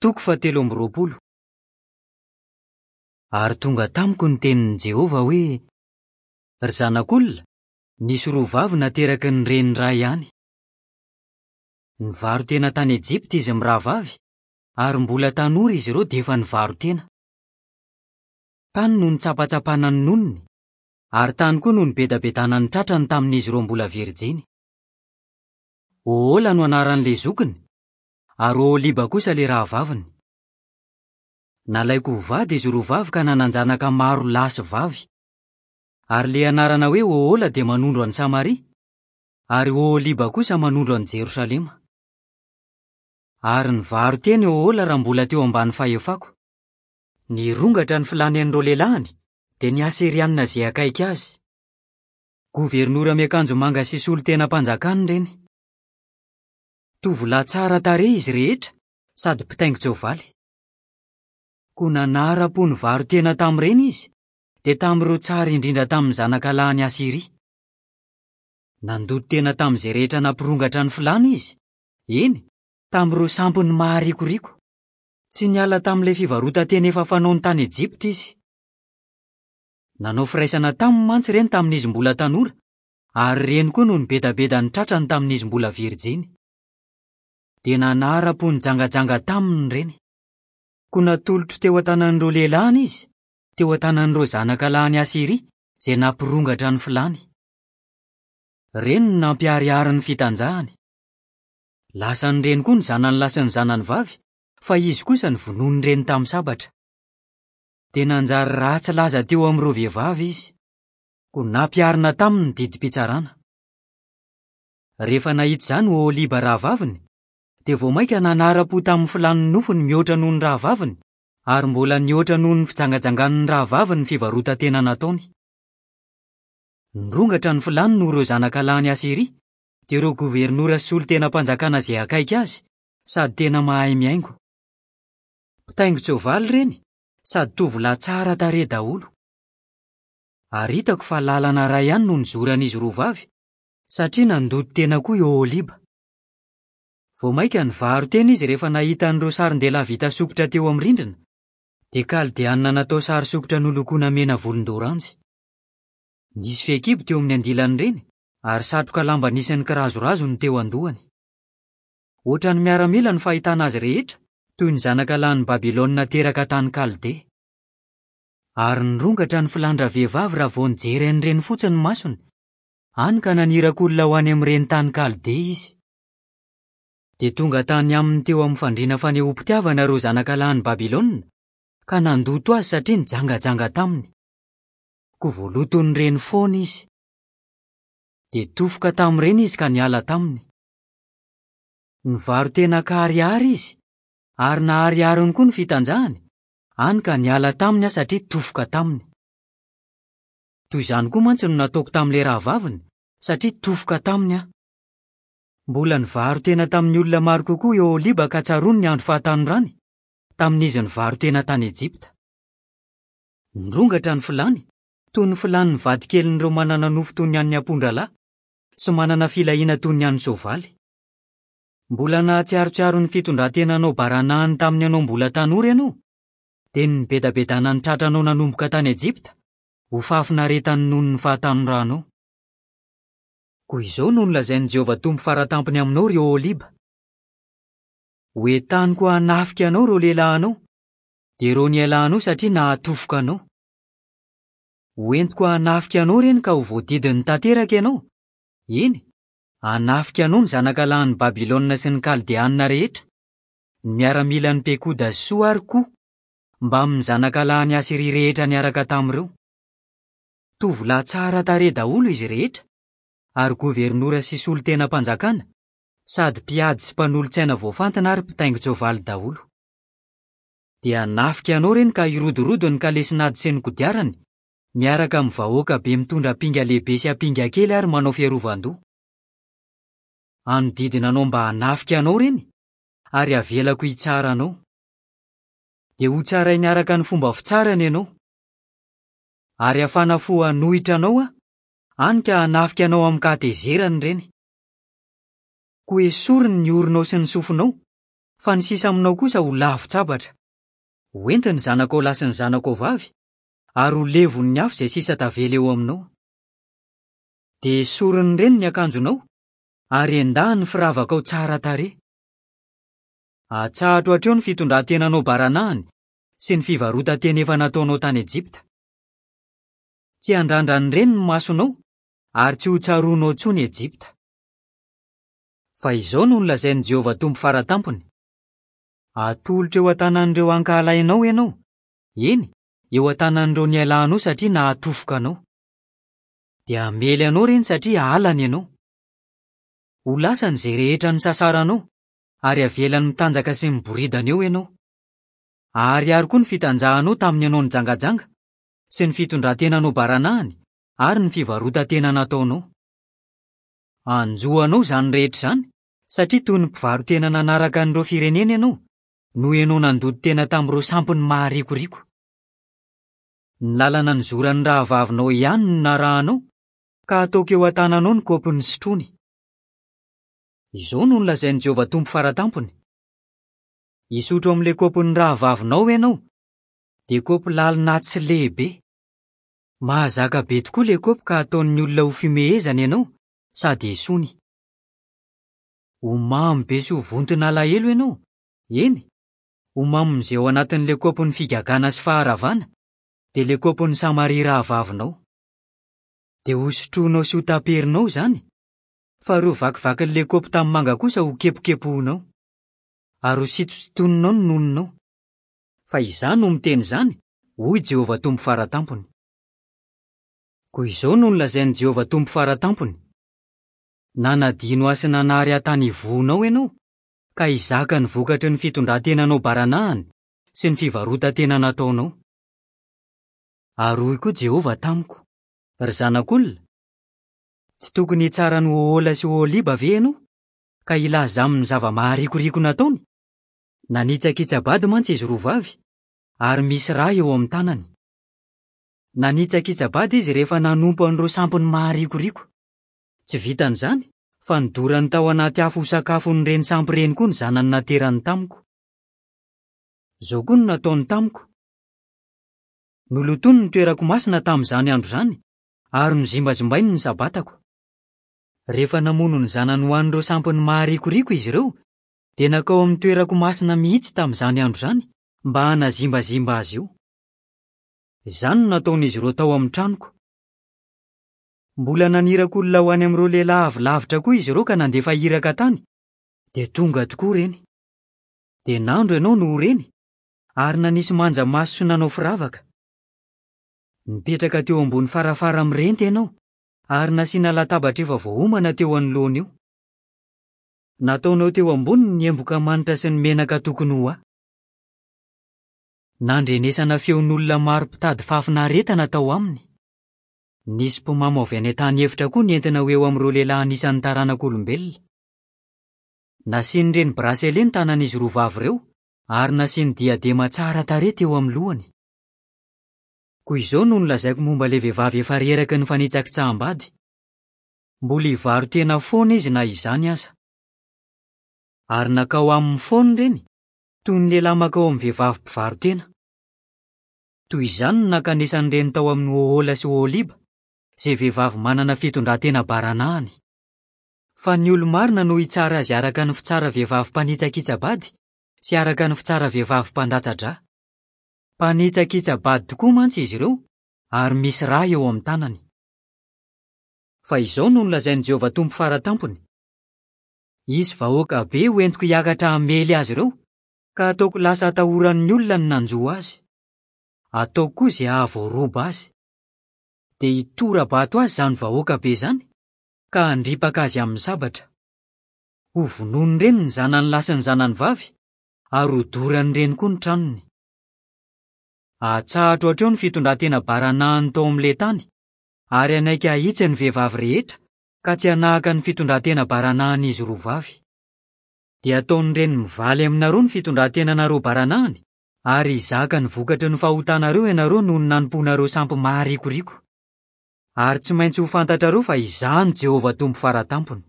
Toko fahatelo amby roapolo. Ary tonga tamiko ny tenin'i Jehovah hoe, Ry zanak'olona, nisy roa vavy nateraky ny reny iray ihany. Nivaro-tena tany Ejipta izy mirahavavy, ary mbola tanora izy ireo dia efa nivaro-tena. Tany no nitsapatsapana ny nonony, ary tany koa no nibedabedana ny tratrany tamin'izy ireo mbola virjiny. Ohola no anaran'ilay zokiny, ary Oholiba kosa ilay rahavaviny. Nalaiko ho vady izy roa vavy ka nanan-janaka maro lahy sy vavy. Ary ilay anarana hoe Ohola dia manondro an'i Samaria, ary Oholiba kosa manondro an'i Jerosalema. Ary nivaro-tena i Ohola raha mbola teo ambany fahefako. Nirongatra ny filany an'ireo lehilahiny, dia ny Asyrianina izay akaiky azy. Governora miakanjo manga sy solontenam-panjakana ireny. Tovolahy tsara tarehy izy rehetra sady mpitaingin-tsoavaly. Koa nanaram-po nivaro-tena tamin'ireny izy, dia tamin'ireo tsara indrindra tamin'ny zanakalahin'i Asyria. Nandoto tena tamin'izay rehetra nampirongatra ny filàny izy, eny, tamin'ireo sampiny maharikoriko. Tsy niala tamin'ilay fivarotan-tena efa fanaony tany Ejipta izy. Nanao firaisana taminy mantsy ireny tamin'izy mbola tanora, ary ireny koa no nibedabeda ny tratrany tamin'izy mbola virjiny. Dia nanara-po nijangajanga taminy ireny. Koa natolotro teo an-tanan'ireo lehilahiny izy, teo an-tanan'ireo zanaka lahin'i Asyria, izay nampirongatra ny filàny. Ireny no nampiharihary ny fitanjahany. Lasan'ireny koa ny zanany lahy sy ny zanany vavy, fa izy kosa novonoin'ireny tamin'ny sabatra. Dia nanjary ratsy laza teo amin'ireo vehivavy izy. Koa nampiharina taminy ny didim-pitsarana. Rehefa nahita izany Oholiba rahavaviny, dia vao mainka nanara-po tamin'ny filàn'ny nofony mihoatra noho ny rahavaviny, ary mbola nihoatra noho ny fijangajangan'ny rahavaviny ny fivarotan-tena nataony. Nirongatra ny filàny noho ireo zanakalahin'i Asyria, dia ireo governora sy solontenam-panjakana izay akaiky azy, sady tena mahay mihaingo. Mpitaingin-tsoavaly ireny, sady tovolahy tsara tarehy daholo. Ary hitako fa lalana iray ihany no nizoran'izy roa vavy, satria nandoto tena koa i Oholiba. Vao mainka nivaro-tena izy rehefa nahita an'ireo sarin-dehilahy vita sokitra teo amin'ny rindrina, dia Kaldeanina natao sary sokitra nolokoina mena volondoranjy. Nisy fehikibo teo amin'ny andilan'ireny, ary satroka lamba nisy ny kirazorazo no teo an-dohany. Hoatran'ny miaramila ny fahitana azy rehetra, toy ny zanaka lahin'i Babylona teraka tany Kaldea. Ary nirongatra ny filan-dravehivavy raha vao nijery an'ireny fotsiny ny masony, hany ka naniraka olona ho any amin'ireny tany Kaldea izy. Dia tonga tany aminy teo amin'ny fandriana fanehoam-pitiavana ireo zanaka lahin'i Babylona, ka nandoto azy satria nijangajanga taminy. Koa voaloton'ireny foana izy. Dia tofoka tamin'ireny izy ka niala taminy. Nivaro-tena an-kaharihary izy, ary naharihariny koa ny fitanjahany, hany ka niala taminy aho satria tofoka taminy. Toy izany koa mantsy no nataoko tamin'ilay rahavaviny, satria tofoka taminy aho. Mbola nivaro-tena tamin'ny olona maro kokoa i Oholiba ka tsaroany ny andro fahatanorany, tamin'izy nivaro-tena tany Ejipta. Nirongatra ny filàny, toy ny filàn'ny vadikelin'ireo manana nofo toy ny an'ny ampondralahy, sy manana filahiana toy ny an'ny soavaly. Mbola nahatsiarotsiaro ny fitondran-tenanao baranahiny tamin'ny ianao mbola tanora ianao, dia ny nibedabedana ny tratranao nanomboka tany Ejipta, ho fahafinaretan'ny nonon'ny fahatanoranao. Koa izao no nolazain'i Jehovah Tompo Fara Tampony aminao, ry Oholiba, Hoentaniko hanafika anao ireo lehilahinao, dia ireo nialanao satria nahatofoka anao. Hoentiko hanafika anao ireny ka ho voadidiny tanteraka ianao, eny, hanafika anao ny zanakalahin'i Babylona sy ny Kaldeanina rehetra, ny miaramilan'i Pekoda sy Soa ary Koa, mbamin'ny zanakalahin'i Asyria rehetra niaraka tamin'ireo. Tovolahy tsara tarehy daholo izy rehetra, ary governora sy solontenam-panjakana, sady mpiady sy mpanolo-tsaina voafantina ary mpitaingin-tsoavaly daholo. Dia hanafika anao ireny ka hirodorodo ny kalesin'ady sy ny kodiarany, miaraka amin'ny vahoaka be mitondra ampinga lehibe sy ampinga kely ary manao fiarovan-doha. Hanodidina anao mba hanafika anao ireny, ary havelako hitsara anao. Dia hotsarainy araka ny fomba fitsarany ianao. Ary hafana fo hanohitra anao aho, hany ka hanafika anao amin-kahatezerana ireny. Koa esoriny ny oronao sy ny sofinao. fa ny sisa aminao kosa ho lavon-tsabatra. Ho entiny ny zanakao lahy sy ny zanakao vavy, ary ho levon'ny afo izay sisa tavela eo aminao. Dia esorin'ireny ny akanjonao, ary endahiny ny firavakao tsara tarehy. Atsahatro hatreo ny fitondran-tenanao baranahiny sy ny fivarotan-tena efa nataonao tany Ejipta. Tsy handrandra an'ireny ny masonao, ary tsy hotsaroanao intsony Ejipta. Fa izao no nolazain'i Jehovah Tompo Fara Tampony, Atolotro eo an-tanan'ireo ankahalainao ianao, eny, eo an-tanan'ireo nialanao satria nahatofoka anao. Dia hamely anao ireny satria halany ianao. Ho lasany izay rehetra nisasaranao, ary havelany mitanjaka sy miboridana eo ianao. Aharihary koa ny fitanjahanao tamin'ny ianao nijangajanga, sy ny fitondran-tenanao baranahiny, ary ny fivarotan-tena nataonao. Hanjo anao izany rehetra izany, satria toy ny mpivaro-tena nanaraka an'ireo firenena ianao, noho ianao nandoto tena tamin'ireo sampiny maharikoriko. Ny lalana nizoran'ny rahavavinao ihany no narahanao, ka hataoko eo an-tananao ny kaopy nisotroany. Izao no nolazain'i Jehovah Tompo Fara Tampony, Hisotro amin'ilay kaopin'ny rahavavinao ianao, dia kaopy lalina tsy lehibe. Mahazaka be tokoa ilay kaopy ka ataon'ny olona ho fimehezana ianao sady esoiny. Ho mamo be sy ho vonton'alahelo ianao, eny, ho mamon'izay ao anatin'ilay kaopin'ny figagana sy faharavana, dia ilay kaopin'i Samaria rahavavinao. Dia hosotroinao sy hotaperinao izany, fa ireo vakivakin'ilay kaopy tanimanga kosa hokepokepohinao, ary hosintosintoninao ny nononao. Fa Izaho no miteny izany, hoy Jehovah Tompo Fara Tampony. Koa izao no nolazain'i Jehovah Tompo Fara Tampony, Nanadino ahy sy nanary ahy tany ivohonao ianao, ka hizaka ny vokatry ny fitondran-tenanao baranahiny sy ny fivarotan-tena nataonao. Ary hoy koa Jehovah tamiko, Ry zanak'olona, tsy tokony hitsara an'i Ohola sy Oholiba ve ianao, ka hilaza aminy ny zava-maharikoriko nataony? Nanitsakitsa-bady mantsy izy roa vavy, ary misy ra eo amin'ny tanany. Nanitsakitsa-bady izy rehefa nanompo an'ireo sampiny maharikoriko. Tsy vitan'izany, fa nodorany tao anaty afo ho sakafon'ireny sampy ireny koa ny zanany naterany tamiko. Izao koa no nataony tamiko, Nolotoiny ny toerako masina tamin'izany andro izany, ary nozimbazimbainy ny Sabatako. Rehefa namono ny zanany ho an'ireo sampiny maharikoriko izy ireo, dia nankao amin'ny toerako masina mihitsy tamin'izany andro izany mba hanazimbazimba azy io. Izany no nataon'izy ireo tao amin'ny tranoko. Mbola naniraka olona ho any amin'ireo lehilahy avy lavitra koa izy ireo ka nandefa iraka tany, dia tonga tokoa ireny. Dia nandro ianao noho ireny, ary nanisy manja maso sy nanao firavaka. Nipetraka teo ambony farafara mirenty ianao, ary nasiana latabatra efa voaomana teo anoloan'io. Nataonao teo amboniny ny emboka manitra sy ny menaka tokony ho ahy. Nandrenesana feon'olona maro mpitady fahafinaretana tao aminy. Nisy mpimamo avy any an-tany efitra koa nentina ho eo amin'ireo lehilahy anisan'ny taranak'olombelona. Nasian'ireny bracelet ny tanan'izy roa vavy ireo ary nasiany diadema tsara tarehy teo amin'ny lohany. Koa izao no nolazaiko momba ilay vehivavy efa reraky ny fanitsakitsaham-bady, Mbola hivaro-tena foana izy na izany aza. Ary nankao aminy foana ireny, toy ny lehilahy mankao amin'ny vehivavy mpivaro-tena. Toy izany no nankanesan'ireny tao amin'i Ohola sy Oholiba, izay vehivavy manana fitondran-tena baranahiny. Fa ny olo-marina no hitsara azy araka ny fitsara vehivavy mpanitsakitsa-bady sy araka ny fitsara vehivavy mpandatsa-drà. Mpanitsakitsa-bady tokoa mantsy izy ireo, ary misy rà eo amin'ny tanany. Fa izao no nolazain'i Jehovah Tompo Fara Tampony, Hisy vahoaka be hoentiko hiakatra hamely azy ireo, ka hataoko lasa atahoran'ny olona ny nanjo azy. Ataoko koa izay hahavoaroba azy. Dia hitora-bato azy izany vahoaka be izany, ka handripaka azy amin'ny sabatra. Hovonoin'ireny ny zanany lahy sy ny zanany vavy, ary hodoran'ireny koa ny tranony. Hatsahatro hatreo ny fitondran-tena baranahiny tao amin'ilay tany, ary hanaiky hahitsy ny vehivavy rehetra, ka tsy hanahaka ny fitondran-tena baranahin'izy roa vavy. Dia hataon'ireny mivaly aminareo ny fitondran-tenanareo baranahiny, ary hizaka ny vokatry ny fahotanareo ianareo noho ny nanompoanareo sampy maharikoriko. Ary tsy maintsy ho fantatrareo fa Izaho no Jehovah Tompo Fara Tampony.